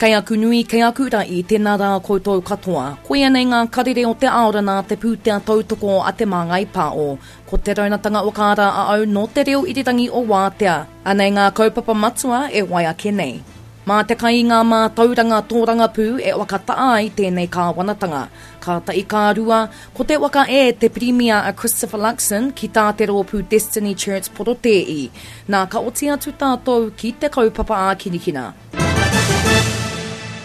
Kei aku nui, kei aku ra'i, tēnā rā koutou katoa. Koia nei ngā karere o te aora nā te pūtea tautoko a Te Māngai Pāo. Ko Te Raunatanga o Kāra a au nō te reo irirangi o Wātea. Anei ngā kaupapa matua e wai ake nei. Mā te kai i ngā mātauranga tōrangapū e whakata'a ai tēnei kāwanatanga. Kātahi ka rua, ko te waka e te Pirimia a Christopher Luxon ki tā te rōpū Destiny Church porotēi. Nā ka oti atu tātou ki te kaupapa ākinikina.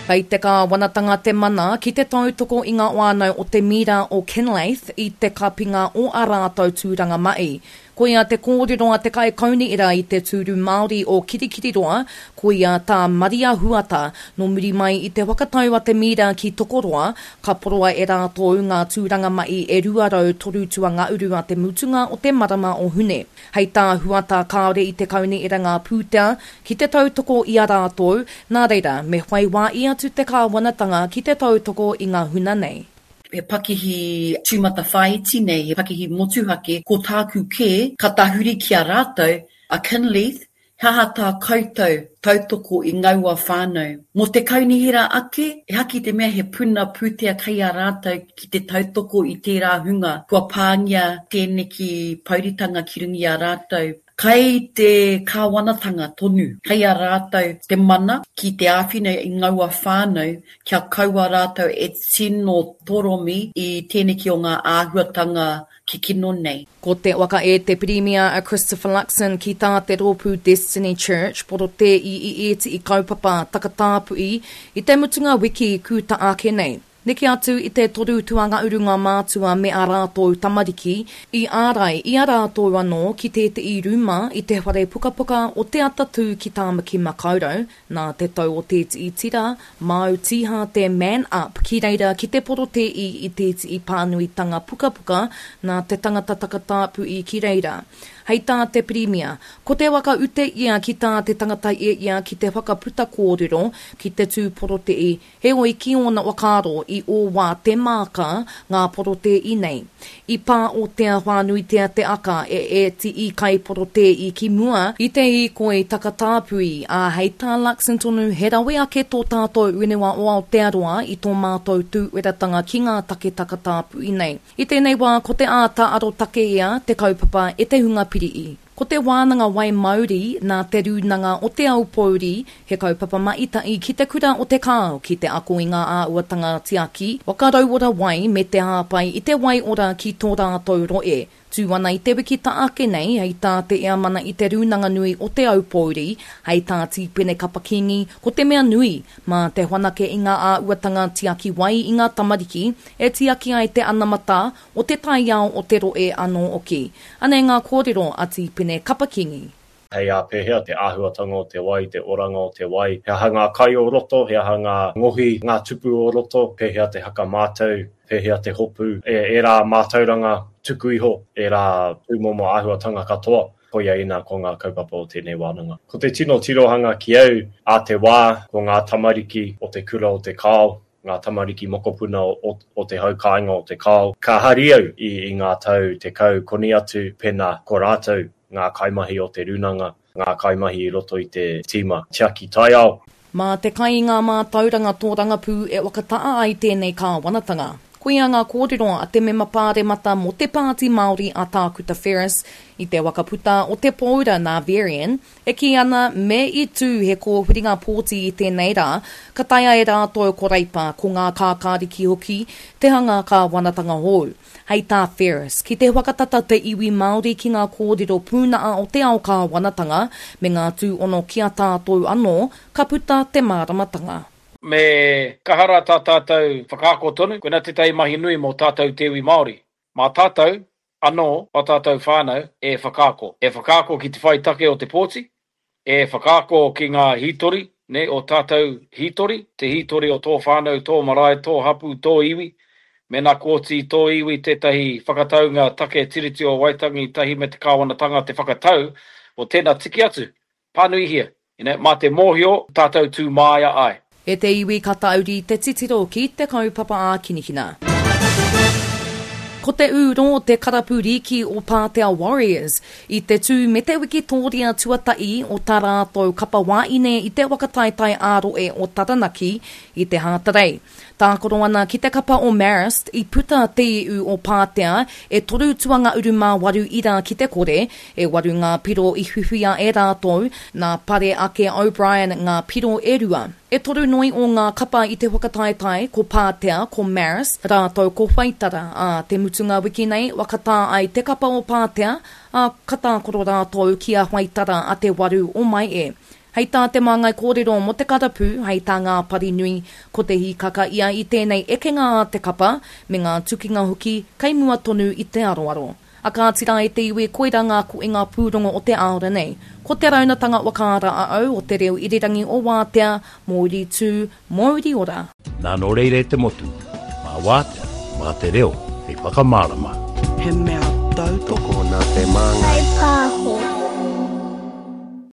Kei te kāwanatanga te mana ki te tautoko i ngā whānau o te mira o Kinleith i te kapinga o ā rātou tūranga mahi. Koia te kōrero a te kaikaunihera i te tūru Māori o Kirikiriroa, koia tā Maria Huata, nō muri mai i te whakatau a te mira ki Tokoroa, ka poroa e rātou ngā tūranga mahi e 203 tuangauru a te mutunga o te marama o Hune. Hei tā Huata kāore i te kaunihera ngā pūtea ki te tautoko i a rātou, nā reira, me whai wāhi atu te kāwanatanga ki te tautoko i ngā huna nei. He pakihi tūmatawhāiti nei, he pakihi motuhake, ko tāku kē, ka tahuri ki a rātou, a Kinleith, he aha tā koutou tautoko i ngaua whānau? Mō te kaunihera ake, ehake i te mea he puna pūtea kei a rātou ki te tautoko i tērā hunga kua pāngia tēneki pouritanga ki runga i a rātou. Kei te kāwanatanga tonu, kei a rātou te mana ki te āwhina i ngaua whānau kia kaua rātou e tino toromi i tēneki o ngā āhuatanga kikino nei. Ko te waka e te Pirimia a Christopher Luxon ki tā te rōpū Destiny Church porotē i i ētihi kaupapa takatāpui i te mutunga wiki kūta ake nei. Neke atu i te toru tuangauru ngā mātua me ā rātou tamariki i ārai i a rātou anō ki tēte'i rūma i te whare pukapuka o Te Atatū ki Tāmaki Makaurau nā te tau o tēte'i tira māu tīhāte Man Up ki reira ki te porotē'i i tēte'i pānuitanga pukapuka nā te tangata takatāpui ki reira. Hei tā te Pirimia, ko te whakaute ia ki tā te tangata e ia ki te whakaputa kōrero, ki te tū porotē'i, Heoi ki ōna whakaaro i ō wā te māka ngā porotēi nei. I pā o tea whānuitea te aka e ētiī kaiporotēi ki mua i te hīkoi takatāpui, ā, hei tā Luxon tonu he rawe ake tō tātou whenua o Aotearoa i tō mātou tūweratanga ki ngā take takatāpui nei. I tēnei wā ko te āta arotake ia te kaupapa e te hunga piri'i. Ko te wānanga wai mauri nā Te Rūnanga o Te Aupōuri, he kaupapa maita'i ki te kura o Te Kao ki te ako i ngā āhuatanga tiaki waka rauora wai me te hāpai i te wai ora ki tō rātou rohe. Tū ana i te wiki ta ake nei, hei tā te Eamana i Te Rūnanga Nui o Te Aupōuri, hei tā Tīpene Kapa Kingi, ko te mea nui, mā te whanake i ngā āhuatanga tiaki wai i ngā tamariki e tiaki ai te anamata o te taiao o te rohe anō hoki. Anei ngā kōrero a Tīpene Kapa-Kingi. Hei ā pēhea te āhuatanga o te wai, te oranga o te wai, he aha ngā kai o roto, he aha ngā ngohi, ngā tupu o roto, pēhea te hakamātau, pēhea te hopu, ērā mātauranga tuku iho, ērā tūmomo āhuatanga katoa, koia ina ko ngā kaupapa o tēnei wānanga. Ko te tino tirohanga ki au, ā te wā, ko ngā tamariki o te kura o Te Kao, ngā tamariki mokopuna o, o te hau kāinga o Te Kao. Ka hari au i, i ngā tau 10 koni atu pēnā ko rātou ngā kaimahi o te rūnanga, ngā kaimahi i roto i te tīma tiaki taiao. Mā te kai i ngā mātauranga tōrangapū e whakata'a ai tēnei kāwanatanga. Koia ngā kōrero a te mema pāremata mō te Pāti Māori a Tākuta Ferris i te whakaputa o te pōura nā Varian, E kī ana, me i tū he kōwhiringa pōti i tēnei rā, ka taea e rātou ko Reipa, ko ngā kākāriki hoki, te hanga kāwanatanga hou. Hei tā Ferris, ki te whakatata te iwi Māori ki ngā kōrero pūnaha o te ao kāwanatanga me ngā tūhono ki a tātou anō, ka puta te māramatanga. Me kaha rā tā tātou whakaako tonu, koinā tētahi mahi nui mō tātou te iwi Māori. Mā tātou anō ā tātou whānau e whakaako. E whakaako ki te whai take o te pōti, e whakaako ki ngā hītori, nē, o tātou hītori, te hītori o tō whānau, tō marae, tō hapū, tō iwi. Mēnā kua oti i tō iwi tētahi whakataunga take Tiriti o Waitangi tahi me te kāwanatanga te whakatau, o tēnā tiki atu, Pānuihia, you know, mā te mōhio tātou tū māia ai. E te iwi ka tauri te titiro ki te kaupapa ākinikina. Ko te ū rō te karapu rīki o Pātea Warriors i te tū me te wikitōria tuatahi o tā rātou kapa wāine i te waka taetae ā-rohe o Taranaki i te Hātarei. Tākaro ana ki te kapa o Marist i puta te iu o Pātea e toru tuanga 18 ira ki te kore, e waru ngā piro i whiwhia e rātou, nā Pare ake O'Brien ngā piro e rua. E toru noi o ngā kapa i te whakataetae, ko Pātea, ko Marist, rātou ko Whaitara, ā, te mutunga wiki nei, whakatā ai te kapa o Pātea, ā, ka tākaro rātou ki a Whaitara a te waru o Maehe. Hei tā te māngai kōrero mō te karapu, hei tā Ngā Parinui, ko te hīkaka ia i tēnei ekenga a te kapa, me ngā tukinga hoki, kei mua tonu i te aroaro. A kāti rā e te iwi koirā ngā koenga pūrongo o te āora nei. Ko te raunatanga whakaara a au o te reo irirangi o Wātea, Mōuri tū, Mōuri ora. Nā nō reira e te motu, mā Wātea, mā te reo hei whakamārama. He mea tautoko. Tokona te māngai.